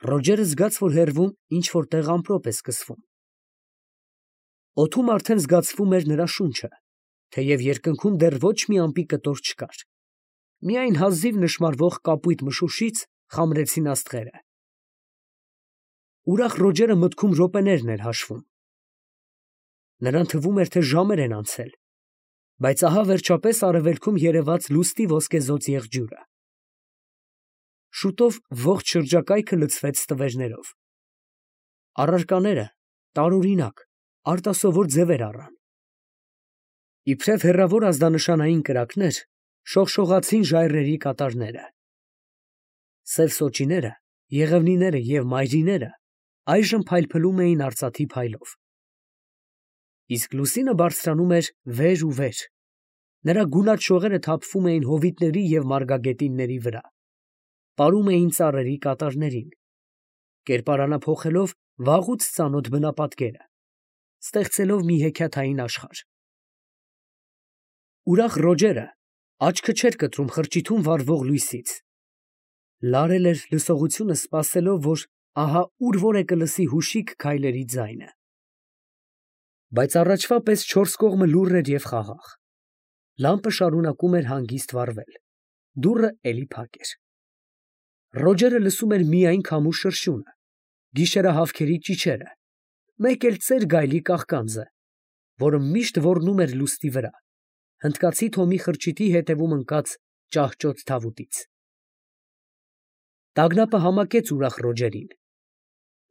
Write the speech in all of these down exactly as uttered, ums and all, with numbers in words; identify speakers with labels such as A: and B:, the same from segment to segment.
A: Ռոջերը զգաց, որ հեռվում ինչ֊որ տեղ ամպրոպ է սկսվում։ Օդում արդեն զգացվում էր նրա շունչը, թեև երկնքում դեռ ոչ մի ամպի կտոր չկար. միայն հազիվ նշմարվող կապույտ մշուշից խամրեցին աստղերը։ Ուրախ Ռոջերը մտքում րոպեներն էր հաշվում. նրան թվում էր, թե ժամեր են անցել, բայց ահա վերջապես արևելքում երևաց լուսնի ոսկեզօծ եղջյուրը։ Շուտով ողջ շրջակայքը լցվեց ստվերներով։ Առարկաները տարօրինակ, արտասովոր ձևեր առան։ Իբրև հեռավոր ազդանշանային կրակներ, շողշողացին ժայռերի կատարները։ Սև սոճիները, եղևնիները և մայրիները այժմ փայլփլում էին արծաթի փայլով։ Իսկ լուսինը բարձրանում էր վեր ու վեր, նրա գունատ շողերը թափվում էին հովիտների և մարգագետինների վրա, պարում էին ծառերի կատարներին, կերպարանափոխելով վաղուց ծանոթ բնապատկերը, ստեղծելով մի հեքիաթային աշխարհ։ Ուրախ Ռոջերը աչքը չէր կտրում խրճիթում վառվող լույսից, լարել էր լսողությունը, սպասելով, որ ահա ուր֊որ է կլսի հուշիկ քայլերի ձայնը։ Բայց առաջվա պես չորս կողմը լուռ էր և խաղաղ, լամպը շարունակում էր հանգիստ վառվել, դուռը էլի փակ էր։ Ռոջերը լսում էր միայն քամու շրշյունը, գիշերահավքերի ճիչերը, մեկ էլ ծեր գայլի կաղկանձը, որը միշտ ոռնում էր լուսնի վրա, հնդկացի Թոմի խրճիթի հետևում ընկած ճահճոտ թավուտից։ Տագնապը համակեց ուրախ Ռոջերին։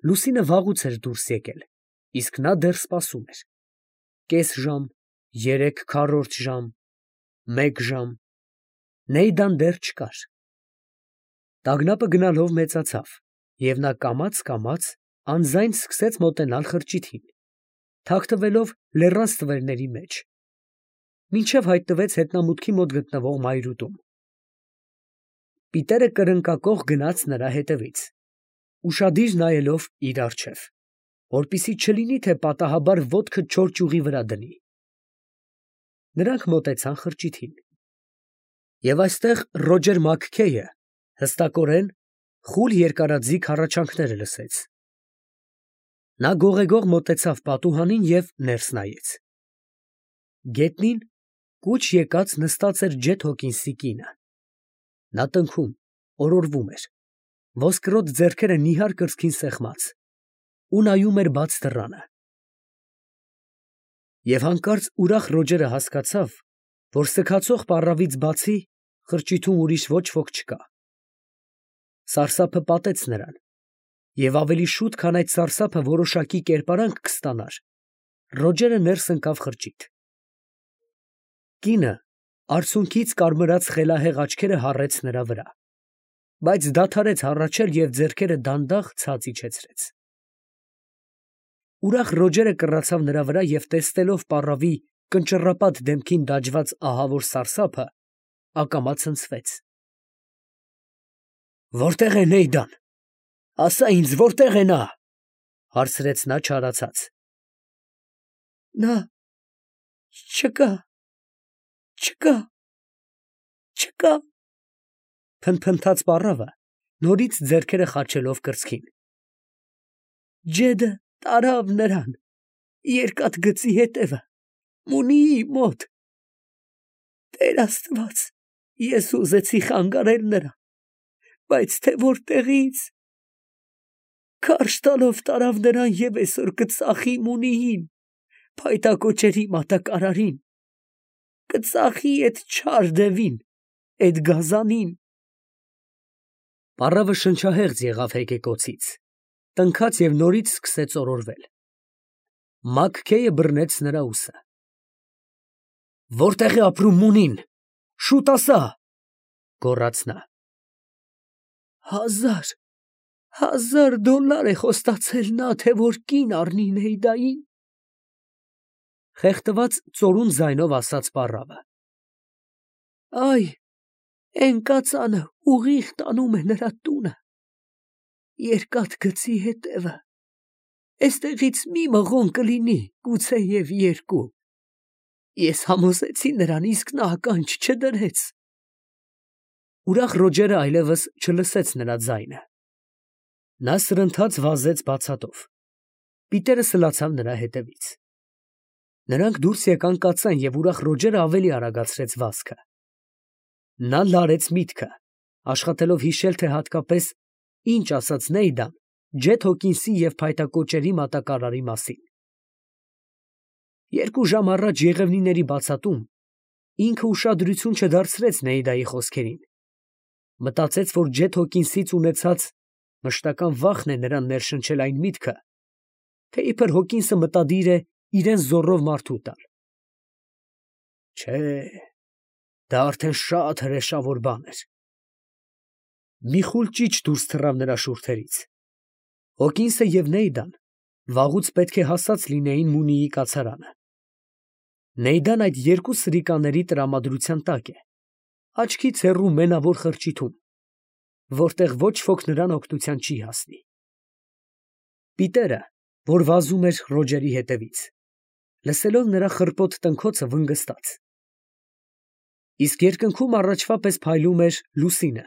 A: Լուսինը վաղուց էր դուրս եկել, իսկ նա դեռ սպասում էր։ Կես ժամ, երեք քառորդ ժամ, մեկ ժամ… Նեյդան դեռ չկար։ Տագնապը գնալով մեծացավ, և նա կամաց֊կամաց անձայն սկսեց մոտենալ խրճիթին, թաքնվելով լեռան ստվերների մեջ, մինչև հայտնվեց հետնամուտքի մոտ գտնվող մայրուտում։ Պիտերը կրնկակոխ գնաց նրա հետևից, ուշադիր նայելով իր առջև, որպեսզի չլինի, թե պատահաբար ոտքը չոր ճյուղի վրա դնի։ Նրանք մոտեցան խրճիթին, և այստեղ Ռոջեր Մաքքեյը հստակորեն խուլ երկարաձիգ հառաչանքները լսեց։ Նա գողեգող մոտեցավ պատուհանին և ներս նայեց։ Գետնին կուչ եկած նստած էր Ջեթ Հոքինսի կինը։ Նա տնքում, օրորվում էր, ոսկրոտ ձեռքերը նիհար կրծքին սեղմած, ու նայում էր բաց դռանը։ Եվ հանկարծ ուրախ Ռոջերը հասկացավ, որ սգացող պառավից բացի խրճիթում ուրիշ ոչ ոք չկա։ Սարսափը պատեց նրան, և ավելի շուտ, քան այդ սարսափը որոշակի կերպարանք կստանար, Ռոջերը ներս ընկավ խրճիթ։ Կինը արցունքից կարմրած խելահեղ աչքերը հառեց նրա վրա, բայց դադարեց հառաչել և ձեռքերը դանդաղ ցած իջեցրեց։ Ուրախ Ռոջերը կռացավ նրա վրա և տեսնելով պառավի կնճռապատ դեմքին դաջված ահավոր սարսափը, ակամա ցնցվեց։ «Որտե՞ղ է Նեյդան, ասա ինձ, որտե՞ղ է նա», ֊ հարցրեց նա չարացած։ «Նա… չկա… չկա… չկա…» փնթփնթաց պառավը, նորից ձեռքերը խաչելով կրծքին։ «Ջեդը տարավ նրան… երկաթգծի ետևը… Մունիի մոտ… Տեր աստված… ես ուզեցի խանգարել նրան… բայց թե որտեղի՜ց… Քարշ տալով տարավ նրան և այսօր կծախի Մունիին, փայտակոճերի մատակարարին… կծախի էդ չար դևին, էդ գազանին…»։ Պառավը շնչահեղձ եղավ հեկեկոցից, տնքաց և նորից սկսեց օրորվել։ Մաքքեյը բռնեց նրա ուսը։ «Որտե՞ղ է ապրում Մունին, շուտ ասա, ֊ գոռաց նա։ ֊ Հազար… հազար դոլլար է խոստացել նա, թե որ կին առնի Նեյդային… ֊ խեղդված ծորուն ձայնով ասաց պառավը։ ֊ Այ, էն կածանը ուղիղ տանում է նրա տունը… Երկաթգծի ետևը… էստեղից մի մղոն կլինի, գուցեև երկու… Ես համոզեցի նրան, իսկ նա ականջ չդրեց…։ Ուրախ Ռոջերը այլևս չլսեց նրա ձայնը։ Նա սրընթաց վազեց բացատով։ Պիտերը սլացավ նրա հետևից։ Նրանք դուրս եկան կացան և ուրախ Ռոջերը ավելի արագացրեց վազքը։ Նա լարեց միտքը, աշխատելով հիշել, թե հատկապես ինչ ասաց Նեյդան Ջեթ Հոքինսի և փայտակոճերի մատակարարի մասին։ Երկու ժամ առաջ եղևնիների բացատում ինքը ուշադրություն չդարձրեց Նեյդայի խոսքերին։ Մտածեց, որ Ջեթ Հոքինսից ունեցած մշտական վախն է նրան ներշնչել այն միտքը, թե իբր Հոքինսը մտադիր է իրան զոռով մարդու տալ։ Չէ, դա արդեն շատ հրեշավոր բան էր։ Մի խուլ ճիչ դուրս թռավ նրա շուրթերից։ Հոքինսը և Նեյդան վաղուց պետք է հասած լինեին Մունիի կացարանը։ Նեյդան այդ երկու սրիկաների տրամադրության տակ է, աչքից հեռու մենավոր խրճիթում, որտեղ ոչ ոք նրան օգնության չի հասնի։ Պիտերը, որ վազում էր Ռոջերի հետևից, լսելով նրա խռպոտ տնքոցը վնգստաց։ Իսկ երկնքում առաջվա պես փայլում էր լուսինը,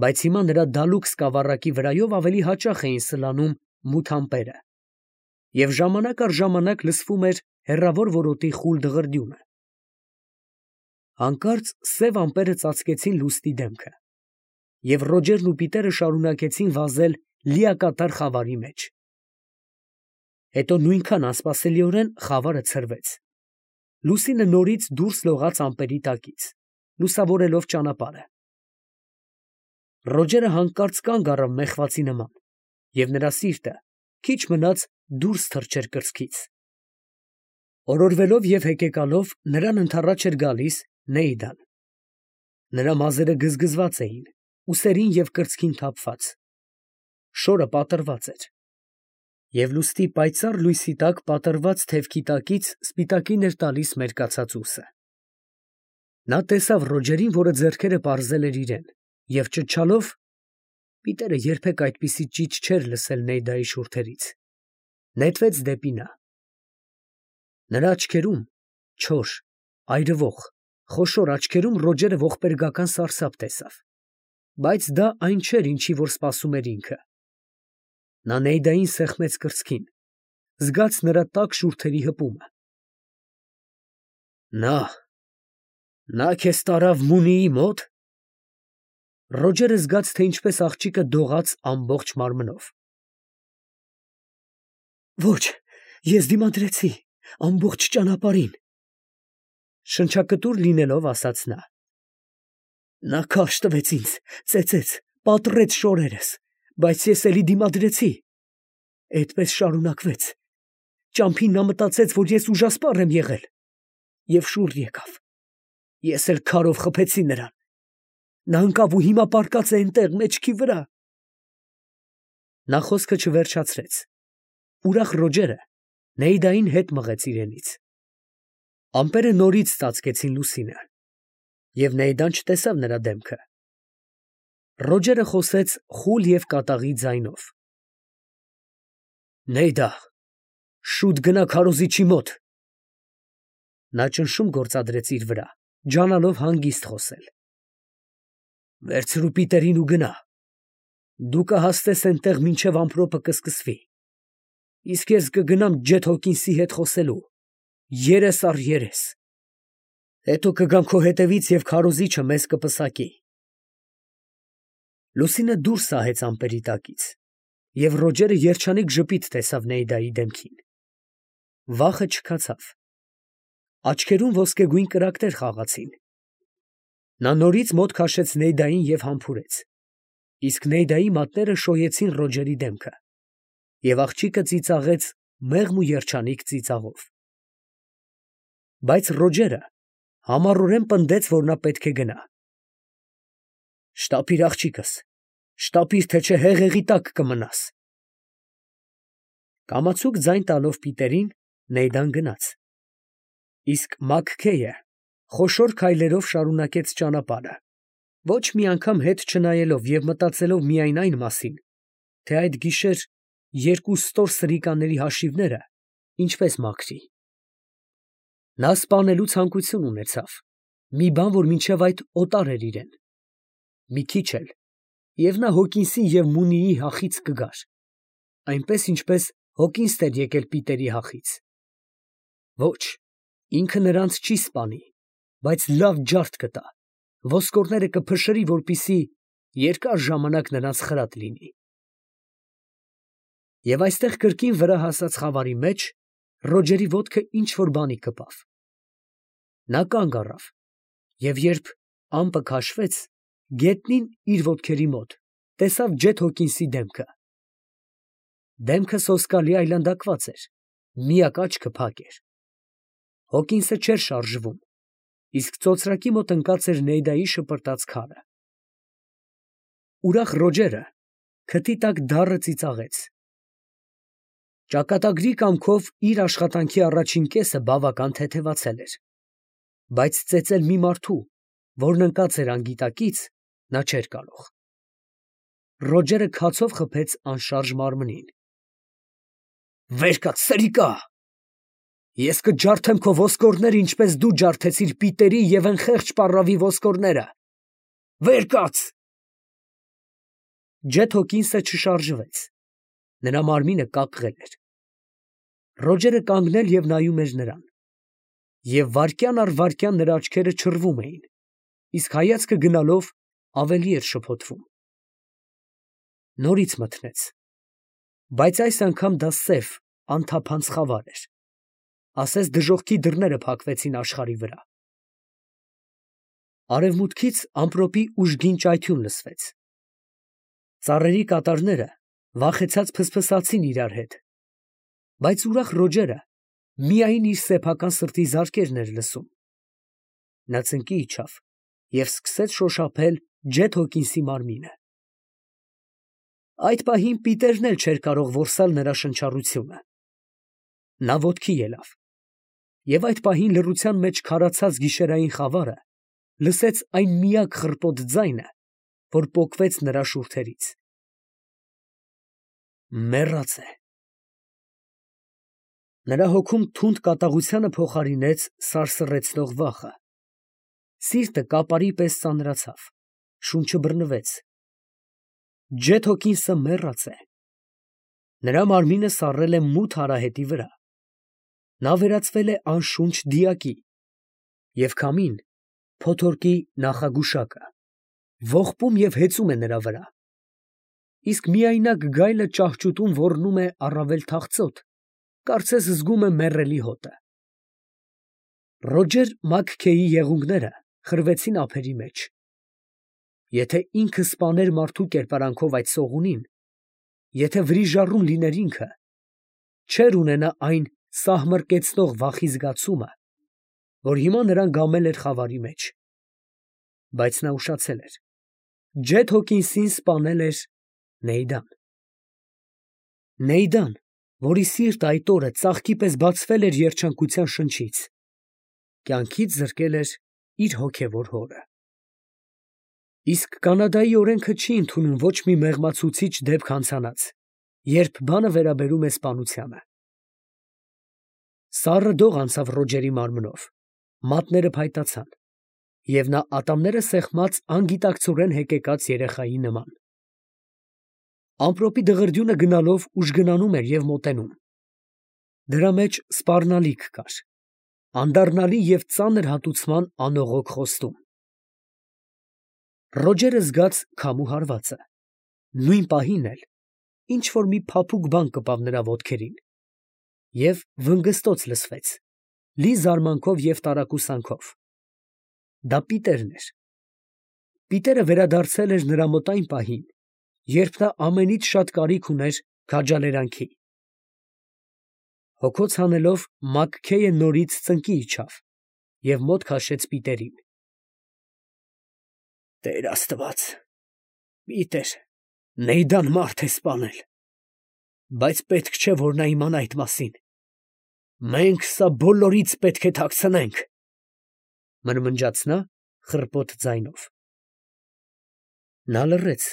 A: բայց հիմա նրա դալուկ սկավառակի վրայով ավելի հաճախ էին սլանում մութ ամպերը, և ժամանակ առ ժամանակ լսվում էր հեռավոր որոտի խուլ դղրդյունը։ Հանկարծ սև ամպերը ծածկեցին լուսնի դեմքը, և Ռոջերն ու Պիտերը շարունակեցին վազել լիակատար խավարի մեջ։ Հետո նույնքան անսպասելիորեն խավարը ցրվեց։ Լուսինը նորից դուրս լողաց ամպերի տակից, լուսավորելով ճանապարհը։ Ռոջերը հանկարծ կանգ առավ մեղվածի նման, և նրա սիրտը քիչ մնաց դուրս թռչեր կրծքից։ Օրորվելով և հեկեկալով նրան ընդառաջ էր գալիս Նեյդան։ Նրա մազերը գզգզված էին, ուսերին և կրծքին թափված։ Շորը պատռված էր, և լուսնի պայծառ լույսի տակ պատռված թևքի տակից սպիտակին էր տալիս մերկացած ուսը։ Նա տեսավ Ռոջերին, որը ձեռքերը պարզել էր իրան, և ճչալով (Պիտերը երբեք այդպիսի ճիչ չէր լսել Նեյդայի շուրթերից) նետվեց դեպի նա։ Նրա աչքերում, չոր, այրվող, խոշոր աչքերում Ռոջերը ողբերգական սարսափ տեսավ, բայց դա այն չէր, ինչի որ սպասում էր ինքը։ Նա Նեյդային սեղմեց կրծքին, զգաց նրա տաք շուրթերի հպումը։ Նա… նա քեզ տարավ Մունիի մո՞տ։ Ռոջերը զգաց, թե ինչպես աղջիկը դողաց ամբողջ մարմնով։ Ոչ, ես դիմադրեցի ամբողջ ճանապարհին, շնչակտուր լինելով ասաց նա։ Նա քարշ տվեց ինձ, ծեծեց, պատռեց շորերս, բայց ես էլի դիմադրեցի։ Էդպես շարունակվեց։ Ճամփին նա մտածեց, որ ես ուժասպառ եմ եղել, և շուռ եկավ։ Ես էլ քարով խփեցի նրան։ Նա ընկավ ու հիմա պառկած է էնտեղ մեջքի վրա։ Նա խոսքը չվերջացրեց։ Ուրախ Ռոջերը Նեյդային հետ մղեց իրենից։ Ամպերը նորից ծածկեցին լուսինը, և Նեյդան չտեսավ նրա դեմքը։ Ռոջերը խոսեց խուլ և կատաղի ձայնով. Նեյդա, շուտ գնա քարոզիչի մոտ։ Նա ճնշում գործադրեց իր վրա, ջանալով հանգիստ խոսել։ Վերցրու Պիտերին ու գնա։ Դու կհասնես էնտեղ, մինչև ամպրոպը կսկսվի, իսկ ես կգնամ Ջեթ Հոքինսի հետ խոսելու, երես առ երես։ Հետո կգամ քո հետևից և քարոզիչը մեզ կպսակի։ Լուսինը դուրս սահեց ամպերի տակից, և Ռոջերը երջանիկ ժպիտ տեսավ Նեյդայի դեմքին։ Վախը չքացավ։ Աչքերում ոսկեգույն կրակներ խաղացին։ Նա նորից մոտ քաշեց Նեյդային և համբուրեց, իսկ Նեյդայի մատները շոյեցին Ռոջերի դեմքը, և աղջիկը ծիծաղեց մեղմ ու երջանիկ ծիծաղով։ Բայց Ռոջերը համառորեն պնդեց, որ նա պետք է գնա։ Շտապիր աղջիկս, շտապիր, թե չէ հեղեղի տակ կմնաս։ Կամացուկ ձայն տալով Պիտերին, Նեյդան գնաց։ Իսկ Մաքքեյը խոշոր քայլերով շարունակեց ճանապարհը, ոչ մի անգամ հետ չնայելով և մտածելով միայն այն մասին, թե այդ գիշեր երկու ստոր սրիկաների հաշիվները ինչպես մաքրի։ Նա սպանելու ցանկություն ունեցավ, մի բան, որ մինչև այդ օտար էր իրան։ Մի քիչ էլ և նա Հոկինսի և Մունիի հախից կգար, այնպես ինչպես Հոկինսն էր եկել Պիտերի հախից։ Ոչ, ինքը նրանց չի սպանի, բայց լավ ջարդ կտա, ոսկորները կփշրի, որպեսզի երկար ժամանակ նրանց խրատ լինի։ Եվ այստեղ կրկին վրա հասած խավարի մեջ Ռոջերի ոտքը ինչ֊որ բանի կպավ. նա կանգ առավ, և երբ ամպը քաշվեց, գետնին իր ոտքերի մոտ տեսավ Ջեթ Հոկինսի դեմքը. դեմքը սոսկալի այլանդակված էր, միակ աչքը փակ էր։ Հոկինսը չէր շարժվում, իսկ ծոծրակի մոտ ընկած էր Նեյդայի շպրտած քարը։ Ուրախ Ռոջերը քթի տակ դառը ծիծաղեց։ Ճակատագրի կամքով իր աշխատանքի առաջին կեսը բավական թեթևացել էր, բայց ծեծել մի մարդու, որն ընկած էր անգիտակից, նա չէր կարող։ Ռոջերը քացով խփեց անշարժ մարմնին։ «Վեր կաց, սրիկա, ես կջարդեմ քո ոսկորները, ինչպես դու ջարդեցիր Պիտերի և անխեղճ պառավի ոսկորները, վեր կաց»։ Ջեթ Հոկինսը չշարժվեց, նրա մարմինը կակղել էր։ Ռոջերը կանգնել և նայում էր նրան, և վայրկյան առ վայրկյան նրա աչքերը չռվում էին, իսկ հայացքը գնալով ավելի էր շփոթվում։ Նորից մթնեց, բայց այս անգամ դա սև, անթափանց խավար էր, ասես դժոխքի դռները փակվեցին աշխարհի վրա։ Արևմուտքից ամպրոպի ուժգին ճայթյուն լսվեց։ Ծառերի կատարները վախեցած փսփսացին իրար հետ, բայց ուրախ Ռոջերը միայն իր սեփական սրտի զարկերն էր լսում։ Նա ծնկի իջավ և սկսեց շոշափել Ջեթ Հոկինսի մարմինը։ Այդ պահին Պիտերն էլ չէր կարող որսալ նրա շնչառությունը։ Նա ոտքի ելավ, և այդ պահին լռության մեջ քարացած գիշերային խավարը լսեց այն միակ խռպոտ ձայնը, որ պոկվեց նրա շուրթերից։ Մեռած է։ Նրա հոգում թունդ կատաղությանը փոխարինեց սարսռեցնող վախը։ Սիրտը կապարի պես ծանրացավ, շունչը բռնվեց։ Ջեթ Հոկինսը մեռած է։ Նրա մարմինը սառել է մութ արահետի վրա։ Նա վերածվել է անշունչ դիակի, և քամին, փոթորկի նախագուշակը, ողբում և հեծում է նրա վրա, իսկ միայնակ գայլը ճահճուտում ոռնում է առավել թախծոտ, կարծես զգում է մեռելի հոտը։ Ռոջեր Մաքքեյի եղունգները խրվեցին ափերի մեջ։ Եթե ինքը սպաներ մարդու կերպարանքով այդ սողունին, եթե վրիժառուն լիներ ինքը, չէր ունենա այն սահմռկեցնող վախի զգացումը, որ հիմա նրան գամել էր խավարի մեջ։ Բայց նա ուշացել էր. Ջեթ Հոկինսին սպանել էր Նեյդան։ Նեյդան, որի սիրտը այդ օրը ծաղկի պես բացվել էր երջանկության շնչից, կյանքից զրկել էր իր հոգևոր հորը։ Իսկ Կանադայի օրենքը չի ընդունում ոչ մի մեղմացուցիչ դեպք հանցանած, երբ բանը վերաբերում է սպանությանը։ Սառը դող անցավ Ռոջերի մարմնով, մատները փայտացան, և նա ատամները սեղմած անգիտակցորեն հեկեկած երեխայի նման։ Ամպրոպի դղրդյունը գնալով ուժգնանում էր և մոտենում։ Դրա մեջ սպառնալիք կար, անդառնալի և ծանր հատուցման անողոք խոստում։ Ռոջերը զգաց քամու հարվածը, նույն պահին էլ ինչ֊որ մի փափուկ բան կպավ նրա ոտքերին, և վնգստոց լսվեց, լի զարմանքով և տարակուսանքով։ Դա Պիտերն էր։ Պիտերը վերադարձել էր նրա մոտ այն պահին, երբ նա ամենից շատ կարիք ուներ քաջալերանքի։ Հոգոց հանելով Մաքքեյը նորից ծնկի իջավ և մոտ քաշեց Պիտերին։ «Տեր Աստված, Պիտեր, Նեյդան մարդ է սպանել, բայց պետք չէ, որ նա իմանա այդ մասին։ Մենք սա բոլորից պետք է թաքցնենք», ֊ մրմնջաց նա խռպոտ ձայնով։ Նա լռեց,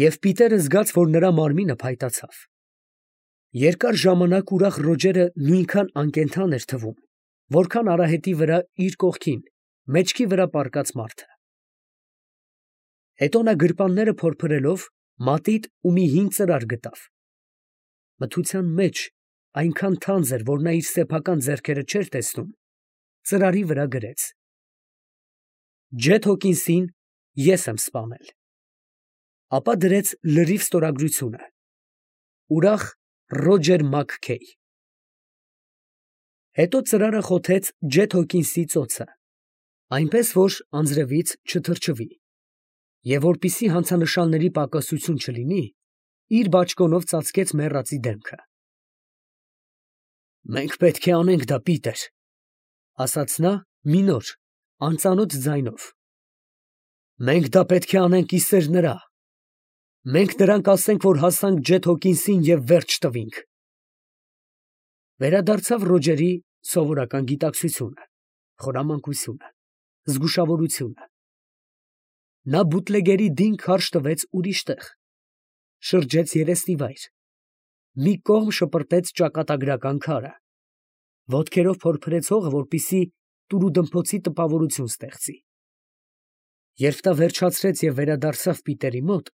A: և Պիտերը զգաց, որ նրա մարմինը փայտացավ։ Երկար ժամանակ ուրախ Ռոջերը նույնքան անկենդան էր թվում, որքան արահետի վրա իր կողքին, մեջքի վրա պառկած մարդը։ Հետո նա գրպանները փորփրելով մատիտ ու մի հին ծրար գտավ. մթության մեջ այնքան թանձ էր, որ նա իր սեփական ձեռքերը չէր տեսնում, ծրարի վրա գրեց. Ջեթ Հոքինսին ես եմ սպանել։ Ապա դրեց լրիվ ստորագրությունը. ուրախ Ռոջեր Մաքքեյ։ Հետո ծրարը խոթեց Ջեթ Հոքինսի ծոցը, այնպես որ անձրևից չթրջվի, և որպեսզի հանցանշանների պակասություն չլինի, իր բաճկոնով ծածկեց մեռածի դեմքը։ «Մենք պետք է անենք դա, Պիտեր», ֊ ասաց նա մի նոր, անծանոթ ձայնով։ «Մենք դա պետք է անենք ի սեր նրա։ Մենք նրան կասենք, որ հասանք Ջեթ Հոքինսին և վերջ տվինք»։ Վերադարձավ Ռոջերի սովորական գիտակցությունը, խորամանկությունը, զգուշավորությունը։ Նա բուտլեգերի դին քարշ տվեց ուրիշ տեղ, շրջեց երեսնիվայր, մի կողմ շպրտեց ճակատագրական քարը, ոտքերով փորփրեց հողը, որպեսզի տուրուդմփոցի տպավորություն ստեղծի։ Երբ նա վերջացրեց և վերադարձավ Պիտերի մոտ,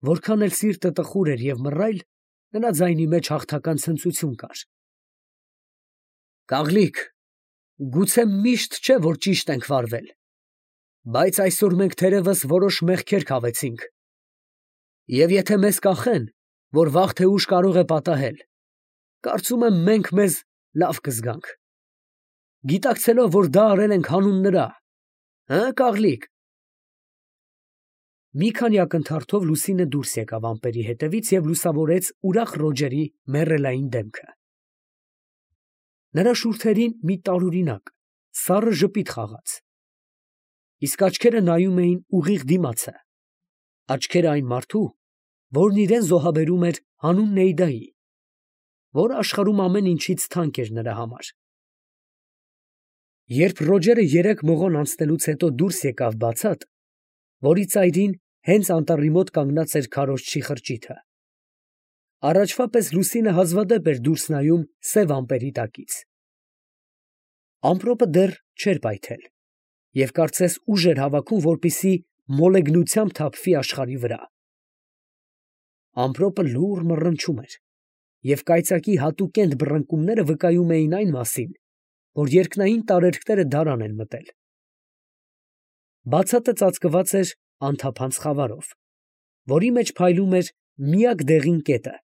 A: որքան էլ սիրտը տխուր էր և մռայլ, նրա ձայնի մեջ հաղթական ցնծություն կար։ «Կաղլիկ, գուցե միշտ չէ, որ ճիշտ ենք վարվել, բայց այսօր մենք թերևս որոշ մեղքեր քավեցինք, և եթե մեզ կախեն, որ վաղ թե ուշ կարող է պատահել, կարծում եմ մենք մեզ լավ կզգանք, գիտակցելով, որ դա արել ենք հանուն նրա, հը՛, Կաղլիկ»։ Մի քանի ակնթարթով Լուսինը դուրս եկավ ամպերի ետևից և լուսավորեց ուրախ Ռոջերի մեռելային դեմքը։ Նրա շուրթերին մի տարօրինակ, սառը ժպիտ խաղաց, իսկ աչքերը նայում էին ուղիղ դիմացը, աչքերը այն մարդու, որն իրան զոհաբերում էր հանուն Նեյդայի, որը աշխարհում ամեն ինչից թանկ էր նրա համար։ Երբ Ռոջերը երեք մղոն անցնելուց հետո դուրս եկավ բացատ, որի ծայրին հենց անտառի մոտ կանգնած էր քարոզչի խրճիթը, առաջվա պես Լուսինը հազվադեպ էր դուրս նայում սև ամպերի տակից։ Ամպրոպը դեռ չէր պայթել, և կարծես ուժ էր հավաքում, որպեսզի մոլեգնությամբ թափվի աշխարհի վրա։ Ամպրոպը լուռ մռնչում էր, և կայծակի հատուկենտ բռնկումները վկայում էին այն մասին, որ երկնային տարերկները դարան են մտել։ Բացատը ծածկված էր անթափանց խավարով, որի մեջ փայլում էր միակ դեղին կետը,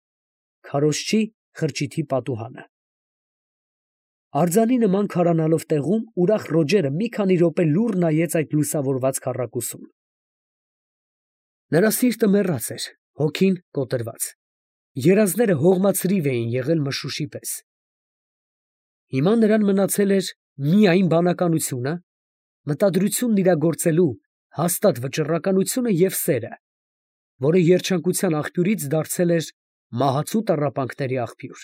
A: քարոզչի խրճիթի պատուհանը։ Արձանի նման քարանալով տեղում ուրախ Ռոջերը մի քանի րոպե լուռ նայեց այդ լուսավորված քառակուսուն։ Նրա սիրտը մեռած էր, հոգին կոտրված, երազները հողմացրիվ էին եղել մշուշի պես։ Հիմա նրան մնացել էր միայն բանականությունը, մտադրությունն իրագործելու հաստատ վճռականությունը և սերը, որը երջանկության աղբյուրից դարձել էր մահացու տառապանքների աղբյուր։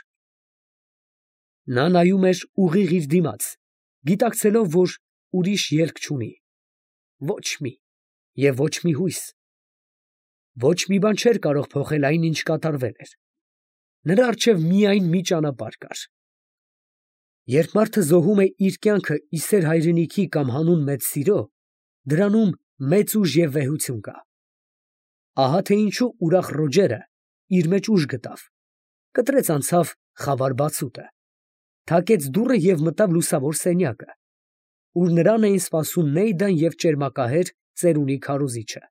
A: Նա նայում էր ուղիղ իր դիմաց, գիտակցելով, որ ուրիշ ելք չունի, ոչ մի և ոչ մի հույս։ Ոչ մի բան չէր կարող փոխել այն, ինչ կատարվել էր։ Նրա առջև միայն մի ճանապարհ կար։ Երբ մարդը զոհում է իր կյանքը ի սեր հայրենիքի կամ հանուն մեծ սիրո, դրանում մեծ ուժ և վեհություն կա։ Ահա թե ինչու ուրախ Ռոջերը իր մեջ ուժ գտավ, կտրեց անցավ խավար բացուտը, թակեց դուռը և մտավ լուսավոր սենյակը, ուր նրան էին սպասում Նեյդան և ճերմակահեր ծերունի քարոզիչը։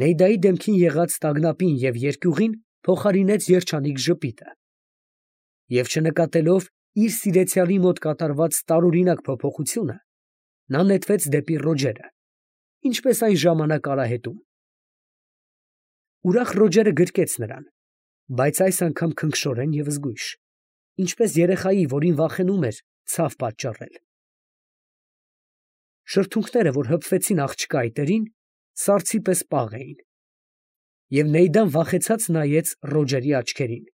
A: Նեյդայի դեմքին եղած տագնապին և երկյուղին փոխարինեց երջանիկ ժպիտը, և չնկատելով իր սիրեցյալի մոտ կատարված տարօրինակ փոփոխությունը, նա նետվեց դեպի Ռոջերը, ինչպես այն ժամանակ արահետում։ Ուրախ Ռոջերը գրկեց նրան, բայց այս անգամ քնքշորեն և զգույշ, ինչպես երեխայի, որին վախենում էր ցավ պատճառել։ Շրթունքները, որ հպվեցին աղջկա այտերին, սառցի պես պաղ էին, և Նեյդան վախեցած նայեց Ռոջերի աչքերին։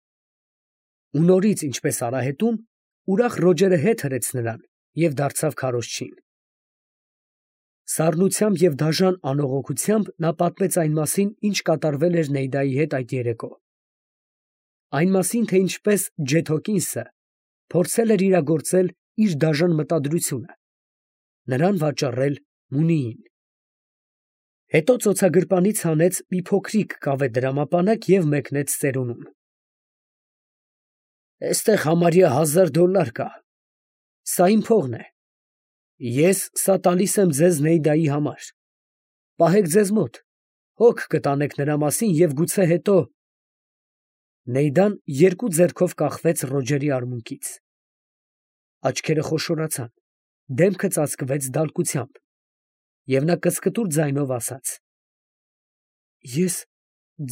A: Ու նորից, ինչպես արահետում, ուրախ Ռոջերը հետ հրեց նրան և դարձավ քարոզչին։ Սառնությամբ և դաժան անողոքությամբ նա պատմեց այն մասին, ինչ կատարվել էր Նեյդայի հետ այդ երեկո, այն մասին, թե ինչպես Ջեթ Հոքինսը փորձել էր իրագործել իր դաժան մտադրությունը, նրան վաճառել Մունիին։ Հետո ծոցագրպանից հանեց մի փոքրիկ կավե դրամապանակ և մեկնեց ծերունուն։ Էստեղ համարյա հազար դոլլար կա. սա իմ փողն է. ես սա տալիս եմ ձեզ Նեյդայի համար. պահեք ձեզ մոտ, հոգ կտանեք նրա մասին և գուցե հետո… Նեյդան երկու ձեռքով կախվեց Ռոջերի արմունկից. աչքերը խոշորացան, դեմքը ծածկվեց դալկությամբ, և նա կսկտուր ձայնով ասաց. Ես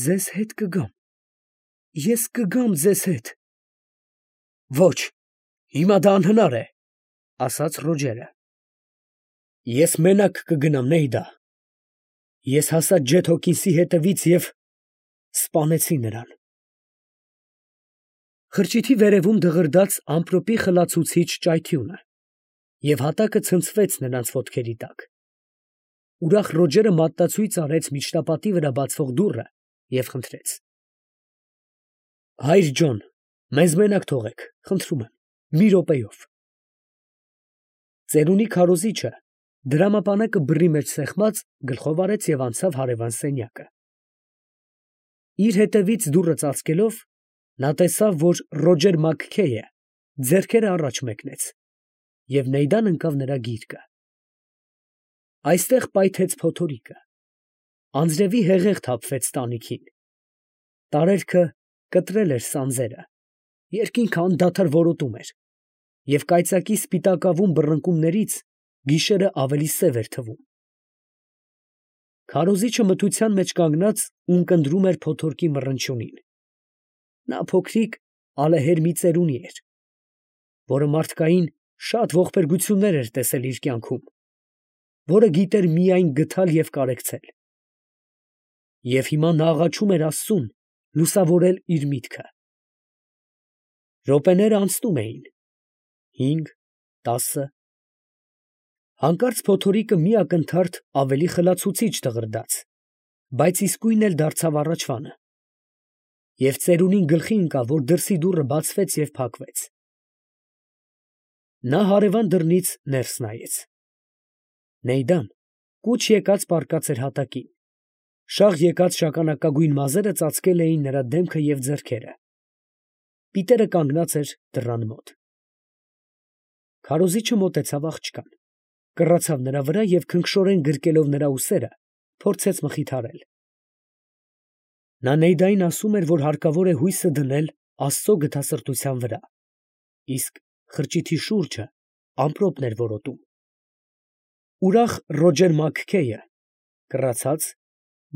A: ձեզ հետ կգամ, ես կգամ ձեզ հետ… Ոչ, հիմա դա անհնար է, ֊ ասաց Ռոջերը. ես մենակ կգնամ, Նեյդա… ես հասա Ջեթ Հոքինսի հետևից և սպանեցի նրան… Խրճիթի վերևում դղրդաց ամպրոպի խլացուցիչ ճայթյունը, և հատակը ցնցվեց նրանց ոտքերի տակ… Ուրախ Ռոջերը մատնացույց արեց միջնապատի վրա բացվող դուռը և խնդրեց. հայր Ջոն, մեզ մենակ թողեք, խնդրում եմ, մի րոպեով… Ծերունի քարոզիչը, դրամապանակը բռի մեջ սեղմած, գլխով արեց և անցավ հարևան սենյակը… Իր հետևից դուռը ծածկելով, նա տեսավ, որ Ռոջեր Մաքքեյը ձեռքերը առաջ մեկնեց, և Նեյդան ընկավ նրա գիրկը… Այստեղ պայթեց փոթորիկը, անձրևի հեղեղ թափվեց տանիքին… Տարերքը կտրել էր սանձերը, երկինքը անդադար որոտում էր, և կայծակի սպիտակավուն բռնկումներից գիշերն ավելի սև էր թվում… Քարոզիչը մթության մեջ կանգնած ունկնդրում էր փոթորկի մռնչյունին… Նա փոքրիկ ալեհեր մի ծերունի էր, որը մարդկային շատ ողբերգություններ էր տեսել իր կյանքում, որը գիտեր միայն գթալ և կարեկցել… Եվ հիմա նա աղաչում էր աստծուն լուսավորել իր միտքը… Րոպեներն անցնում էին… հինգ, տասը… Հանկարծ փոթորիկը մի ակնթարթ ավելի խլացուցիչ դղրդաց, բայց իսկույն էլ դարձավ առաջվանը… և ծերունին գլխի ընկավ, որ դրսի դուռը բացվեց և փակվեց… Նա հարևան դռնից ներս նայեց… Նեյդան կուչ եկած պառկած էր հատակին, շաղ եկած շագանակագույն մազերը ծածկել էին նրա դեմքը և ձեռքերը… Պիտերը կանգնած էր դռան մոտ… Քարոզիչը մոտեցավ աղջկան, կռացավ նրա վրա և քնքշորեն գրկելով նրա ուսերը, փորձեց մխիթարել… Նա Նեյդային ասում էր, որ հարկավոր է հույսը դնել աստծո գթասրտության վրա, իսկ խրճիթի շուրջը ամպրոպն էր որոտում… Ուրախ Ռոջեր Մաքքեյը, կռացած,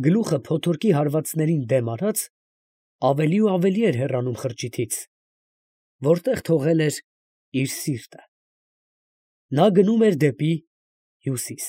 A: գլուխը փոթորկի հարվածներին դեմ արած, ավելի ու ավելի էր հեռանում խրճիթից, որտեղ թողել էր իր սիրտը… Նա գնում էր դեպի հյուսիս…